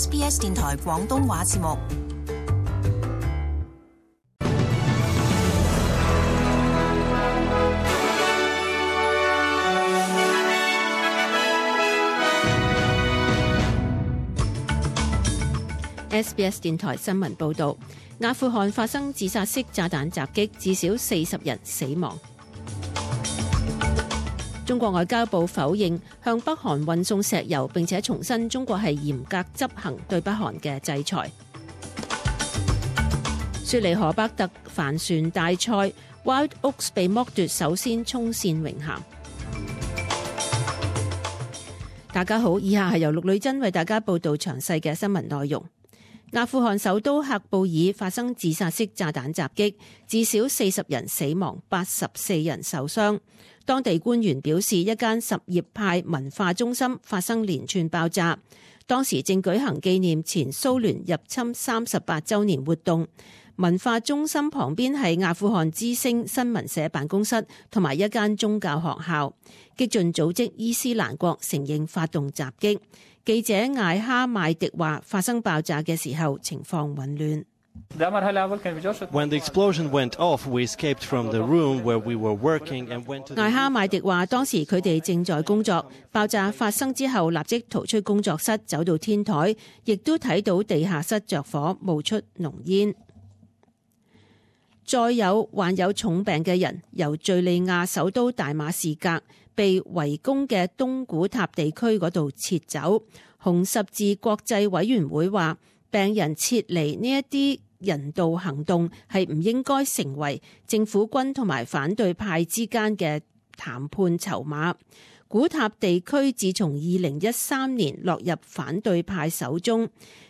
SBS 電台廣東話節目。SBS 電台新聞報導，阿富汗發生自殺式炸彈襲擊，至少40人死亡。中國外交部否認向北韓運送石油，並且重申中國係嚴格執行對北韓嘅制裁。雪梨河北特帆船大賽 Wild Oaks 被剝奪首先衝線榮銜。大家好，以下係由陸女真為大家報道詳細嘅新聞內容。阿富汗首都喀布爾發生自殺式炸彈襲擊，至少40人死亡，84人受傷。當地官員表示，一間什葉派文化中心發生連串爆炸，當時正舉行紀念前蘇聯入侵38週年活動。文化中心旁邊係阿富汗之聲新聞社辦公室同埋一間宗教學校。激進組織伊斯蘭國承認發動襲擊。記者艾哈邁迪話，發生爆炸嘅時候情況混亂。When the explosion went off, we escaped from the room where we were working and went to the... 艾哈邁迪話，當時佢哋正在工作，爆炸發生之後立即逃出工作室，走到天台，亦都睇到地下室着火，冒出濃煙。再有患有重病嘅人由敘利亞首都大馬士革被圍攻嘅東古塔地區嗰度撤走。紅十字國際委員會話，病人撤離呢一啲人道行動係唔應該成為政府軍同埋反對派之間嘅談判籌碼。古塔地區自從2013年落入反對派手中，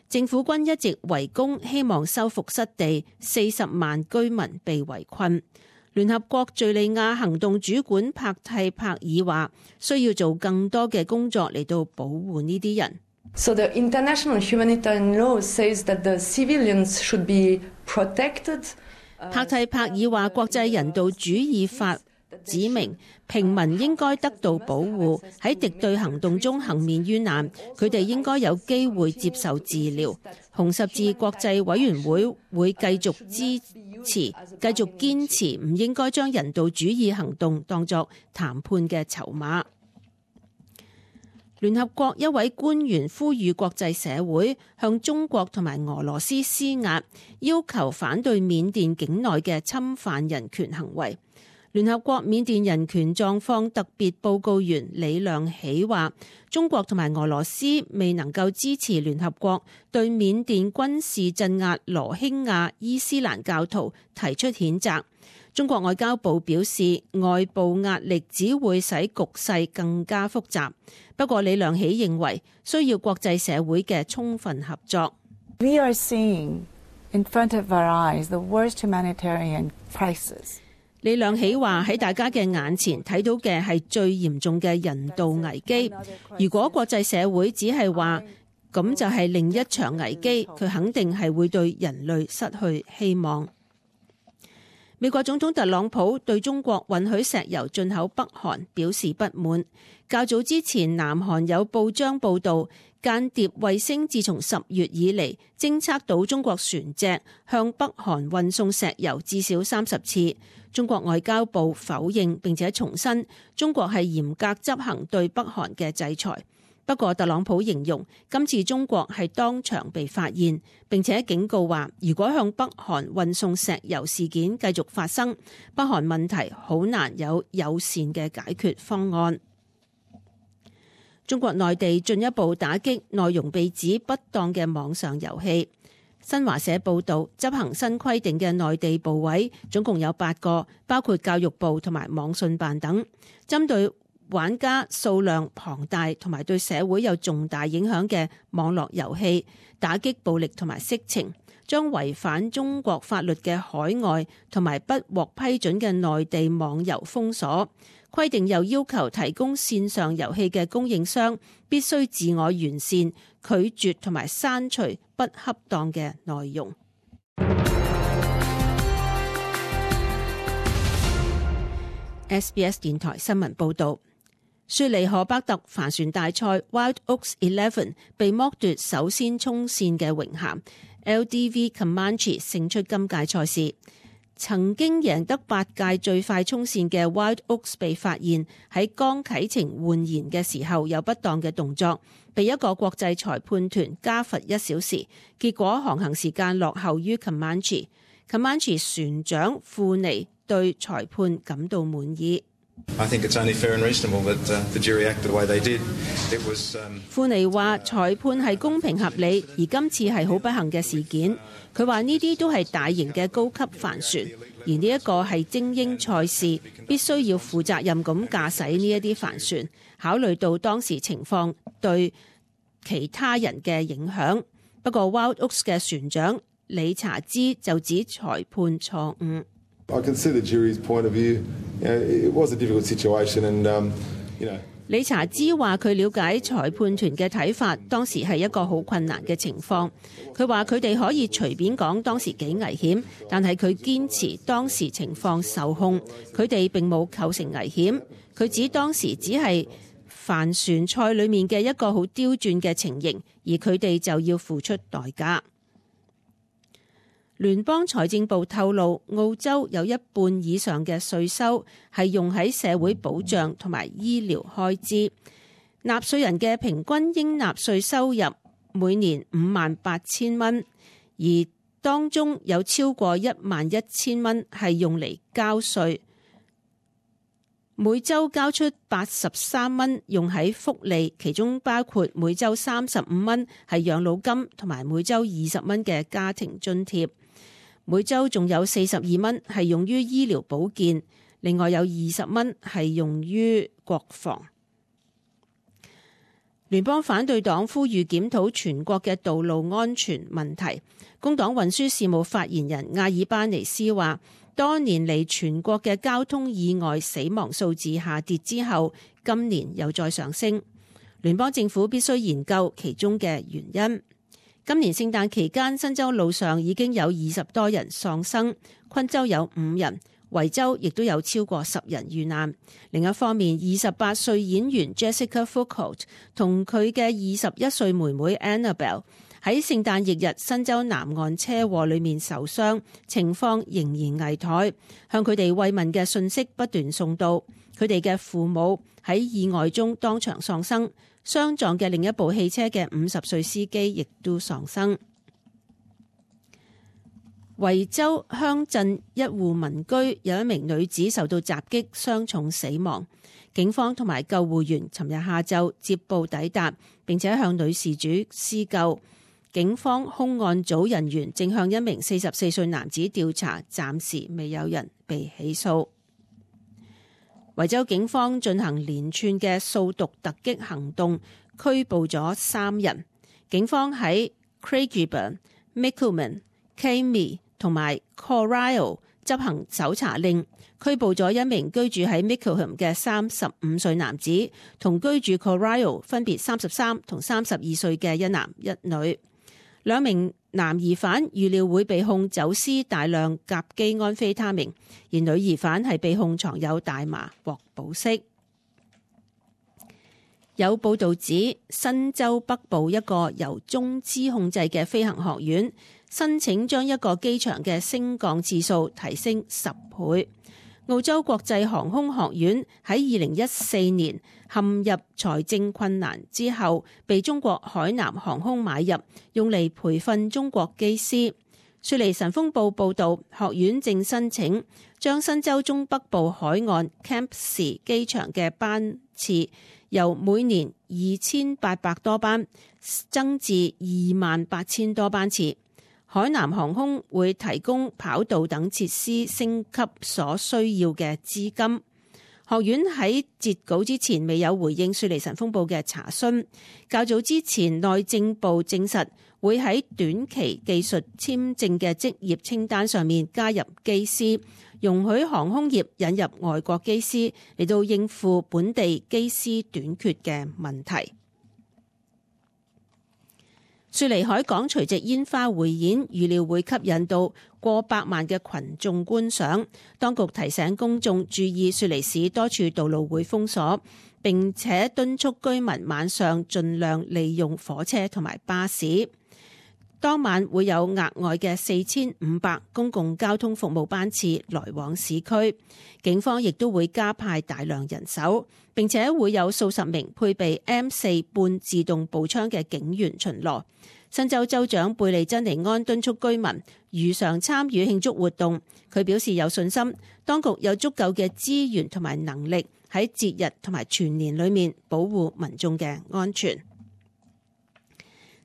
政府軍一直圍攻，希望收復失地，40萬居民被圍困。聯合國敘利亞行動主管帕蒂帕爾話，需要做更多嘅工作嚟到保護呢啲人。So the international humanitarian law says that the civilians should be protected. 帕蒂帕爾話，國際人道主義法指明平民應該得到保護，喺敵對行動中幸免於難，佢哋應該有機會接受治療。紅十字國際委員會會繼續繼續堅持唔應該將人道主義行動當作談判嘅籌碼。聯合國一位官員呼籲國際社會向中國同埋俄羅斯施壓，要求反對緬甸境內嘅侵犯人權行為。聯合國緬甸人權狀況特別報告員李亮喜話，中國同埋俄羅斯未能夠支持聯合國對緬甸軍事鎮壓羅興亞伊斯蘭教徒提出譴責。中國外交部表示，外部壓力只會使局勢更加複雜。不過李亮喜認為需要國際社會嘅充分合作。We are seeing in front of our eyes the worst humanitarian crisis. 李亮喜話，喺大家嘅眼前睇到嘅係最嚴重嘅人道危機。如果國際社會只係話咁就係另一場危機，佢肯定係會對人類失去希望。美國總統特朗普對中國允許石油進口北韓表示不滿。較早之前，南韓有報章報導，間諜衛星自從10月以嚟偵測到中國船隻向北韓運送石油至少30次。中國外交部否認並且重申，中國係嚴格執行對北韓嘅制裁。不過特朗普形容今次中國係當場被發現，並且警告話，如果向北韓運送石油事件繼續發生，北韓問題好難有友善嘅解決方案。中國內地進一步打擊內容被指不當嘅網上遊戲。新華社報導，執行新規定嘅內地部委總共有8個，包括教育部同埋網信辦等，針對玩家數量龐大同埋對社會有重大影響嘅網絡遊戲，打擊暴力同埋色情，將違反中國法律嘅海外同埋不獲批准嘅內地網遊封鎖。規定又要求提供線上遊戲嘅供應商必須自我完善，拒絕同埋刪除不恰當嘅內容。SBS 電台新聞報導。雪梨荷伯特帆船大賽 Wild Oaks 11被剝奪首先衝線嘅榮銜 ，LDV Comanche 勝出今屆賽事。曾經贏得8屆最快衝線嘅 Wild Oaks 被發現喺剛啟程換舷嘅時候有不當嘅動作，被一個國際裁判團加罰1小時，結果航行時間落後於 Comanche。Comanche 船長庫尼對裁判感到滿意。庫尼話裁判係公平合理，而今次係好不幸嘅事件。佢話呢啲都係大型嘅高級帆船，而呢一個係精英賽事，必須要負責任咁駕駛呢一啲帆船，考慮到當時情況對其他人嘅影響。不過 Wild Oaks 嘅船長理查茲就指裁判錯誤。理查茲話佢了解裁判團嘅睇法，當時係一個好困難嘅情況。佢話佢哋可以隨便講當時幾危險，但係佢堅持當時情況受控，佢哋並冇構成危險。佢指當時只係帆船賽裡面嘅一個好刁鑽嘅情形，而佢哋就要付出代價。聯邦財政部透露，澳洲有一半以上嘅稅收係用喺社會保障同埋醫療開支。納稅人嘅平均應納稅收入每年58,000蚊，而當中有超過11,000蚊係用嚟交稅。每週交出83蚊用喺福利，其中包括每週35蚊係養老金同埋每週20蚊嘅家庭津貼。每週仲有42蚊係用於醫療保健，另外有20蚊係用於國防。聯邦反對黨呼籲檢討全國嘅道路安全問題。工黨運輸事務發言人亞爾巴尼斯話，多年嚟全國嘅交通意外死亡數字下跌之後，今年又再上升。聯邦政府必須研究其中嘅原因。今年聖誕期間，新州路上已經有20多人喪生，昆州有5人，維州亦都有超過10人遇難。另一方面，28歲演員 Jessica Foucault 同佢嘅21歲妹妹 Annabelle 喺聖誕翌日新州南岸車禍裏面受傷，情況仍然危殆。向佢哋慰問嘅訊息不斷送到，佢哋嘅父母喺意外中當場喪生。相撞嘅另一部汽車嘅50歲司機亦都喪生。維州鄉鎮一戶民居有一名女子受到襲擊，傷重死亡。警方同埋救護員尋日下晝接報抵達，並且向女事主施救。警方兇案組人員正向一名44歲男子調查，暫時未有人被起訴。維州警方進行連串嘅掃毒突擊行動，拘捕咗3人。警方喺 Craigieburn、Mickleham、Kami 同埋 Corio 執行搜查令，拘捕咗一名居住喺 Mickleham 嘅35歲男子，同居住 Corio 分別33同32歲嘅一男一女。2名男疑犯預料會被控走私大量甲基安非他命，而女疑犯係被控藏有大麻獲保釋。有報導指，新州北部一個由中資控制嘅飛行學院申請將一個機場嘅升降次數提升10倍。澳洲國際航空學院喺2014年陷入財政困難之後，被中國海南航空買入，用嚟培訓中國機師。雪梨晨鋒報報導，學院正申請將新州中北部海岸 Campsie 機場嘅班次由每年2800多班增至28000多班次。海南航空會提供跑道等設施升級所需要嘅資金。學院喺截稿之前未有回應雪梨晨鋒報嘅查詢。較早之前，內政部證實會喺短期技術簽證嘅職業清單上面加入機師，容許航空業引入外國機師嚟到應付本地機師短缺嘅問題。雪梨海港除夕煙花匯演預料會吸引到過百萬嘅群眾觀賞。當局提醒公眾注意雪梨市多處道路會封鎖，並且敦促居民晚上盡量利用火車同埋巴士。當晚會有額外嘅4500公共交通服務班次來往市區，警方亦都會加派大量人手，並且會有數十名配備 M4 半自動步槍嘅警員巡邏。新州州長貝利珍尼安敦促居民如常參與慶祝活動，佢表示有信心，當局有足夠嘅資源同埋能力喺節日同埋全年裏面保護民眾嘅安全。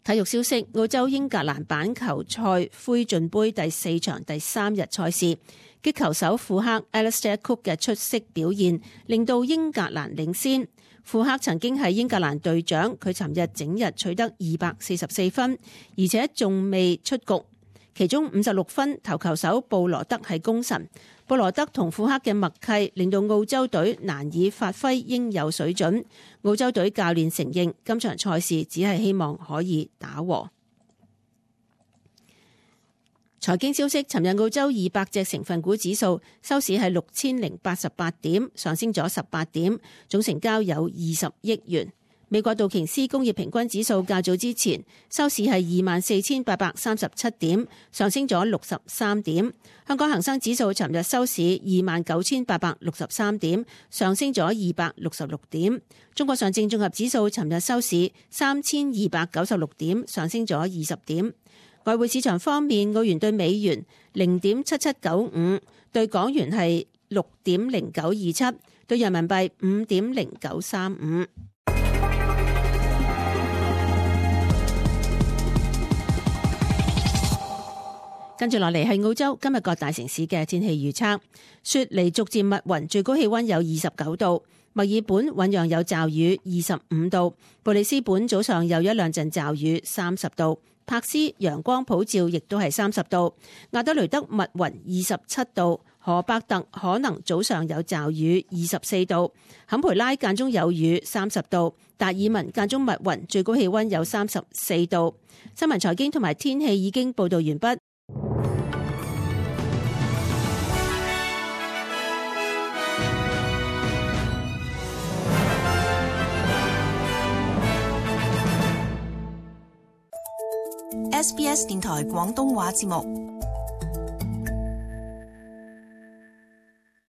體育消息，澳洲英格蘭板球賽灰燼杯第4場第3日賽事，擊球手庫克 Alistair Cook 嘅出色表現令到英格蘭領先。庫克曾經係英格蘭隊長，佢尋日整日取得244分，而且仲未出局。其中56分投球手布羅德係功臣。布羅德同庫克嘅默契令到澳洲隊難以發揮應有水準。澳洲隊教練承認今場賽事只係希望可以打和。財經消息，尋日澳洲200隻成分股指數收市係6088點，上升咗18點，總成交有20億元。美國道瓊斯工業平均指數較早之前收市係24837點，上升咗63點。香港恒生指數尋日收市29863點，上升咗266點。中國上證綜合指數尋日收市3296點，上升咗20點。外匯市場方面，澳元對美元0.7795，對港元係6.0927，對人民幣5.0935。跟住落嚟係澳洲今日各大城市嘅天氣預測。雪梨逐漸密雲，最高氣溫有29度；墨爾本醞釀有驟雨，25度；布里斯本早上有一兩陣驟雨，30度；柏斯陽光普照，亦都係30度；亞德雷德密雲27度；荷伯特可能早上有驟雨，24度；坎培拉間中有雨，30度；達爾文間中密雲，最高氣溫有34度。新聞財經同埋天氣已經報道完畢。SBS 電台廣東話節目。